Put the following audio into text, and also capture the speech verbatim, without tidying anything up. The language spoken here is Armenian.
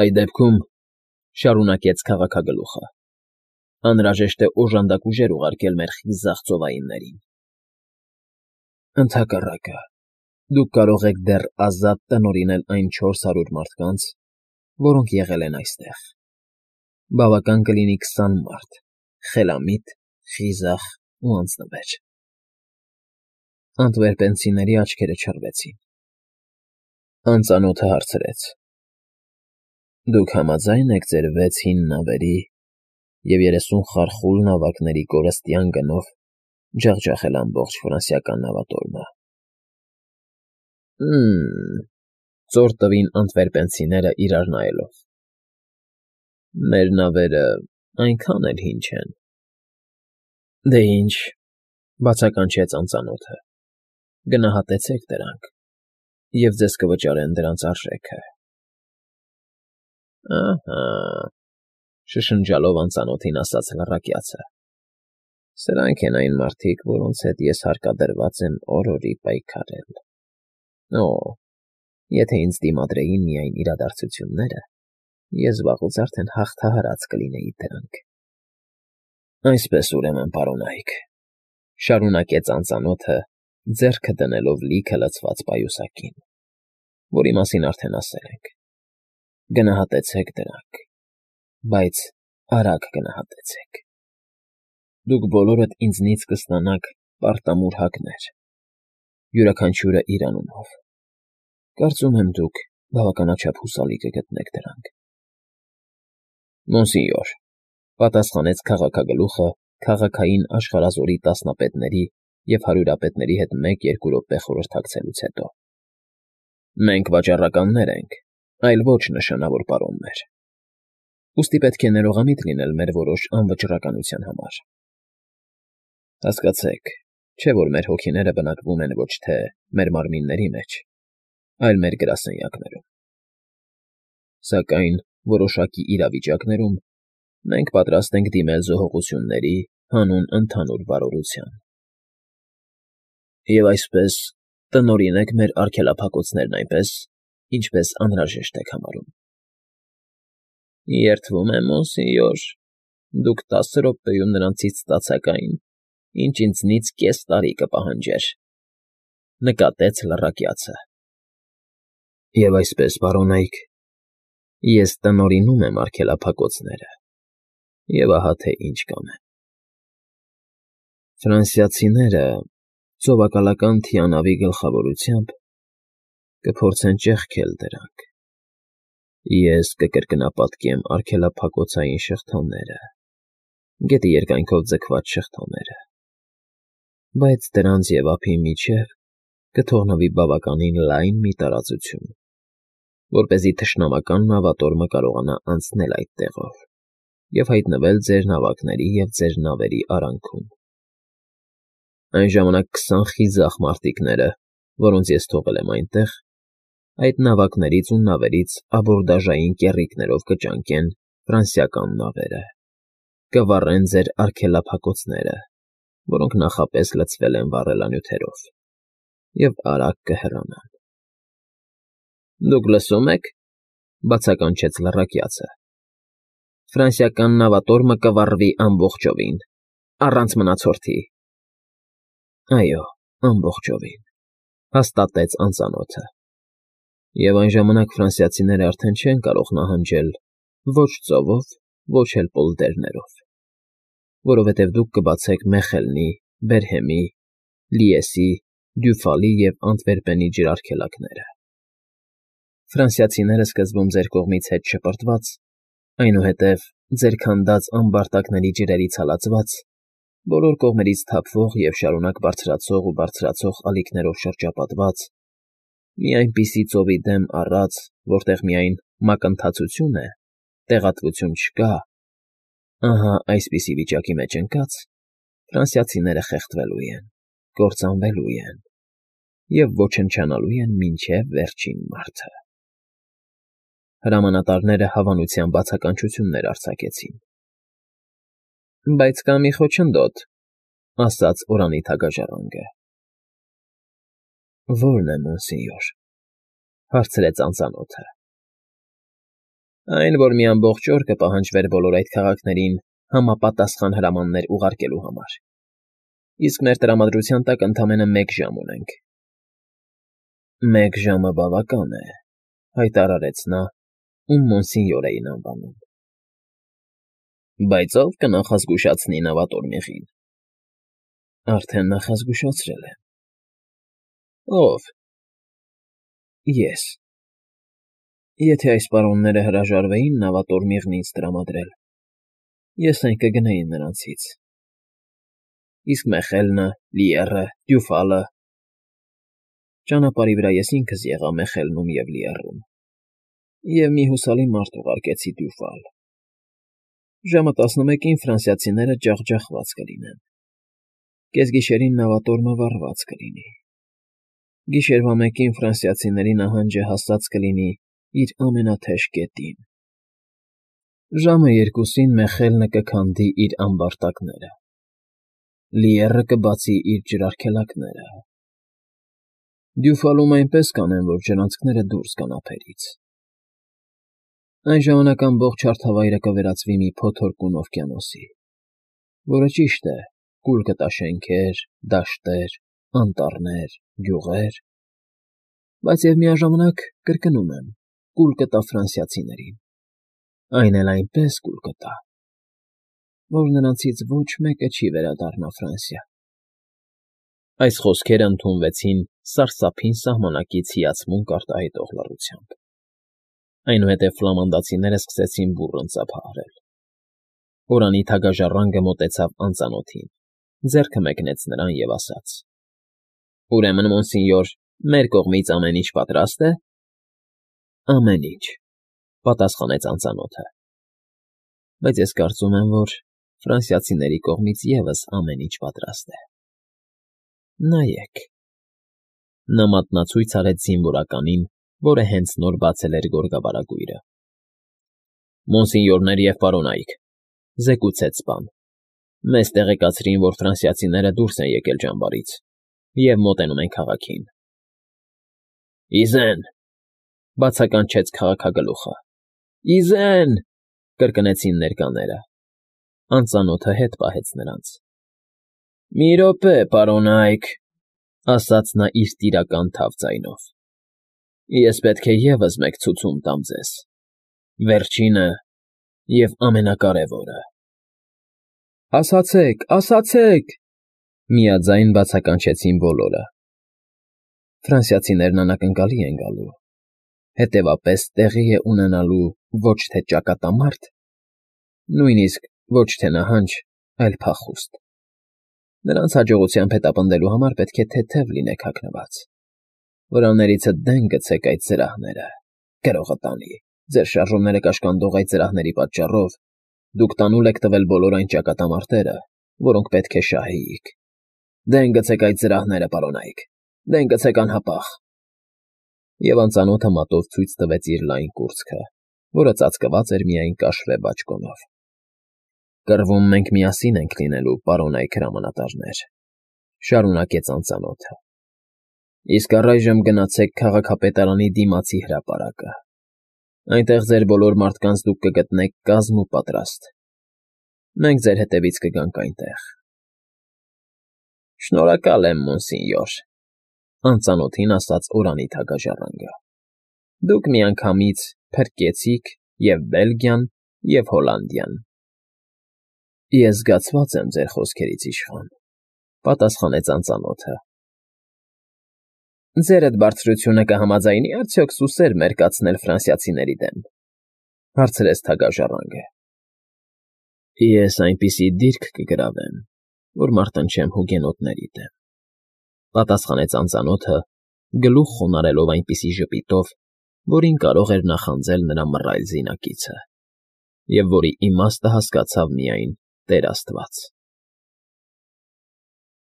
Այդ դեպքում,֊ շարունակեց քաղաքագլուխը,֊ անհրաժեշտ է օժանդակ ուժեր ուղարկել մեր խիզախ ծովայիններին։ Ընդհակառակը, դուք կարող եք դեռ ազատ տնօրինել այն չորս հարյուր մարդկանց, որոնք եղել են այստեղ. բավական կլինի քսան մարդ, խելամիտ, խիզախ ու անձնվեր… Անտվերպենցիների աչքերը չռվեցին։ Անծանոթը հարցրեց. Դուք համաձա՞յն եք ձեր վեց հին նավերի և երեսուն խարխուլ նավակների կորստյան գնով ջախջախել ամբողջ ֆրանսիական նավատորմը։ Հը՜մ,֊ ծոր տվին անտվերպենցիները իրար նայելով։ Մեր նավերն այնքան էլ հին չեն։ Դե ինչ,֊ բացականչեց անծանոթը,֊ գնահատեցեք դրանք, և ձեզ կվճարեն դրանց արժեքը։ Ահա,֊ շշնջալով անծանոթին ասաց լռակյացը,֊ սրանք են այն մարդիկ, որոնց հետ ես հարկադրված եմ օրորի պայքարել… Օ՜, եթե ինձ դիմադրեին միայն իրադարձությունները, ես վաղուց արդեն հաղթահարած կլինեի դրանք… Այսպես, ուրեմն, պարոնայք,֊ շարունակեց անծանոթը, ձեռքը դնելով լիքը լցված պայուսակին, որի մասին արդեն ասել ենք,֊ գնահատեցեք դրանք, բայց արագ գնահատեցեք… Դուք բոլորդ ինձնից կստանաք պարտամուր հակներ, յուրաքանչյուրը իր անունով… Կարծում եմ, դուք բավականաչափ հուսալի կգտնեք դրանք։ Մոնսենյոր,֊ պատասխանեց քաղաքագլուխը քաղաքային աշխարհազորի տասնապետների և հարյուրապետների հետ մեկ֊երկու րոպե խորհրդակցելուց հետո,֊ մենք վաճառականներ ենք, այլ ոչ նշանավոր պարոններ… Ուստի պետք է ներողամիտ լինել մեր որոշ անվճռականության համար… Հասկացեք, չէ՞ որ մեր հոգիները բնակվում են ոչ թե մեր մարմինների մեջ, այլ մեր գրասենյակներում… Սակայն որոշակի իրավիճակներում մենք պատրաստ ենք դիմել զոհողությունների հանուն ընդհանուր բարօրության… Եվ այսպես, տնօրինեք մեր արգելափակոցներն այնպես, ինչպես անհրաժեշտ եք համարում։ Երդվում եմ, մոնսենյոր, դուք տասը րոպեում նրանցից ստացաք այն, ինչ ինձնից կես տարի կպահանջեր,֊ նկատեց լռակյացը։ Եվ այսպես, պարոնայք, ես տնօրինում եմ արգելափակոցները, և ահա թե ինչ կանեմ… Ֆրանսիացիները ծովակալական թիանավի գլխավորությամբ կփորձեն ճեղքել դրանք, ես կկրկնապատկեմ արգելափակոցային շղթաները, գետի երկայնքով ձգված շղթաները, բայց դրանց և ափի միջև կթողնվի բավականին լայն մի տարածություն, որպեսզի թշնամական նավատորմը կարողանա անցնել այդ տեղով և հայտնվել ձեր նավակների և ձեր նավերի արանքում… Այն ժամանակ քսան խիզախ մարտիկները, որոնց ես թողել եմ այնտեղ, այդ նավակներից ու նավերից աբորդաժային կեռիկներով կճանկեն ֆրանսիական նավերը, կվառեն ձեր արգելափակոցները, որոնք նախապես լցվել են վառելանյութերով, և արագ կհեռանան… Դուք լսո՞ւմ եք,֊ բացականչեց լռակյացը,֊ ֆրանսիական նավատորմը կվառվի ամբողջովին, առանց մնացորդի… Այո, ամբողջովին,֊ հաստատեց անծանոթը,֊ և այն ժամանակ ֆրանսիացիները արդեն չեն կարող նահանջել ոչ ծովով, ոչ էլ պոլդերներով, որովհետև դուք կբացեք Մեխելնի, Բերհեմի, Լիեսի, Դյուֆալի և Անտվերպենի ջրարգելակները… Ֆրանսիացիները սկզբում ձեր կողմից հետ շպրտված, այնուհետև ձեր քանդած ամբարտակների ջրերից հալածված, բոլոր կողմերից թափվող և շարունակ բարձրացող ու բարձրացող ալիքներով շրջապատված, մի այնպիսի ծովի դեմ առած, որտեղ միայն մակընթացություն է, տեղատվություն չկա, ահա այսպիսի վիճակի մեջ ընկած, ֆրանսիացիները խեղդվելու են, կործանվելու են և ոչնչանալու են մինչև վերջին մարդը… Հրամանատարները հավանության բացականչություններ արձակեցին։ Բայց կա մի խոչընդոտ,֊ ասաց Օրանի թագաժառանգը։ Ո՞րն է, մոնսենյոր,֊ հարցրեց անծանոթը։ Այն, որ մի ամբողջ օր կպահանջվեր բոլոր այդ քաղաքներին համապատասխան հրամաններ ուղարկելու համար, իսկ մեր տրամադրության տակ ընդամենը մեկ ժամ ունենք։ ֊ Մեկ ժամը բավական է,֊ հայտարարեց նա, ում Մոնսինյոր էին անվանում։ ֊ Բայց ո՞վ կնախազգուշացնի նավատորմիղին։ ֊ Արդեն նախազգուշացրել եմ։ ֊ Ո՞վ։ ֊ Ես։ Եթե այս պարոնները հրաժարվեին նավատորմիղն ինձ տրամադրել, ես այն կգնեի նրանցից։ Իսկ Մեխելը, Լիեռը, Դյուֆալը… Ճանապարհի վրա ես ինքս եղա Մեխելնում և Լիեռում, և մի հուսալի մարդ ուղարկեցի Դյուֆալ։ Ժամը տասնմեկին ֆրանսիացիները ջախջախված կլինեն, կեսգիշերին նավատորմը վառված կլինի, գիշերվա մեկին ֆրանսիացիների նահանջը հասած կլինի իր ամենաթեժ կետին, ժամը երկուսին Մեխելը կքանդի իր ամբարտակները, Լիեռը կբացի իր ջրարգելակները, Դյուֆալում այնպես կանեն, որ ջրանցքները դուրս գան ափերից։ Այն ժամանակ ամբողջ հարթավայրը կվերածվի մի փոթորկուն օվկիանոսի, որը, ճիշտ է, կուլ կտա շենքեր, դաշտեր, անտառներ, գյուղեր, բայց և միաժամանակ, կրկնում եմ, կուլ կտա ֆրանսիացիներին, այն էլ այնպես կուլ կտա, որ նրանցից ոչ մեկը չի վերադառնա Ֆրանսիա։ Այս խոսքերը ընդունվեցին սարսափին սահմանակից հիացմունք արտահայտող լռությամբ։ Այնուհետև ֆլամանդացիները սկսեցին բուռն ծափահարել։ Օրանի թագաժառանգը մոտեցավ անծանոթին, ձեռքը մեկնեց նրան և ասաց. «Ուրեմն, մոնսինյոր, մեր կողմից ամեն ինչ պատրաստ է»։ ֊ Ամեն ինչ,֊ պատասխանեց անծանոթը։ ֊ Բայց ես կարծում եմ, որ ֆրանսիացիների կողմից ևս ամեն ինչ պատրաստ է։ Նայեք…֊ Նա մատնացույց արեց զինվորականին, որը հենց նոր բացել էր գորգավարագույրը։ Մոնսինյորներ և պարոնայք,֊ զեկուցեց սպան, մեզ տեղեկացրին, որ ֆրանսիացիները դուրս են եկել ճամբարից և մոտենում են քաղաքին։ ֊ Ի զե՜ն,֊ բացականչեց քաղաքագլուխը։ ֊ Ի զե՜ն,֊ կրկնեցին ներկաները։ Անծանոթը հետ պահեց նրանց։ ֊ Մի րոպե, պարոնայք,֊ ասաց նա իր տիրական թավ ձայնով,֊ ես պետք է ևս մեկ ցուցում տամ ձեզ, վերջինը և ամենակարևորը։ ֊ Ասացեք, ասացեք,֊ միաձայն բացականչեցին բոլորը։ Ֆրանսիացիներն անակնկալի են գալու, հետևապես տեղի է ունենալու ոչ թե ճակատամարտ, նույնիսկ ոչ թե նահանջ, այլ փախուստ։ Նրանց հաջողությամբ հետապնդելու համար պետք է թեթև լինեք հագնված, վրաներիցդ դեն գցեք այդ զրահները, գրողը տանի, ձեր շարժումները կաշկանդող այդ զրահների պատճառով դուք տանուլ եք տվել բոլոր այն ճակատամարտերը, որոնք պետք է շահեիք։ Դեն գցեք այդ զրահները, պարոնայք, դեն գցեք անհապաղ… Եվ անծանոթը մատով ցույց տվեց իր լայն կուրծքը, որը ծածկված էր միայն կաշվե բաճկոնով։ Կռվում մենք միասին ենք լինելու, պարոնայք հրամանատարներ,֊ շարունակեց անծանոթը։ Իսկ առայժմ գնացեք քաղաքապետարանի դիմացի հրապարակը, այնտեղ ձեր բոլոր մարդկանց դուք կգտնեք կազմ ու պատրաստ, մենք ձեր հետևից կգանք այնտեղ։ ֊ Շնորհակալ եմ, մոնսինյոր,֊ անծանոթին ասաց Օրանի թագաժառանգը։ Դուք միանգամից փրկեցիք և՛ Բելգիան, և՛ Հոլանդիան։ ֊ Ես զգացված եմ ձեր խոսքերից, իշխան,֊ պատասխանեց անծանոթը։ ֊ Ձերդ բարձրությունը կհամաձայնի՞ արդյոք սուսեր մերկացնել ֆրանսիացիների դեմ,֊ հարցրեց թագաժառանգը։ ֊ Ես այնպիսի դիրք կգրավեմ, որ մարտնչեմ հուգենոտների դեմ,֊ պատասխանեց անծանոթը, գլուխ խոնարհելով այնպիսի ժպիտով, որին կարող էր նախանձել նրա մռայլ զինակիցը, և որի իմաստը հասկացավ միայն Տեր Աստված։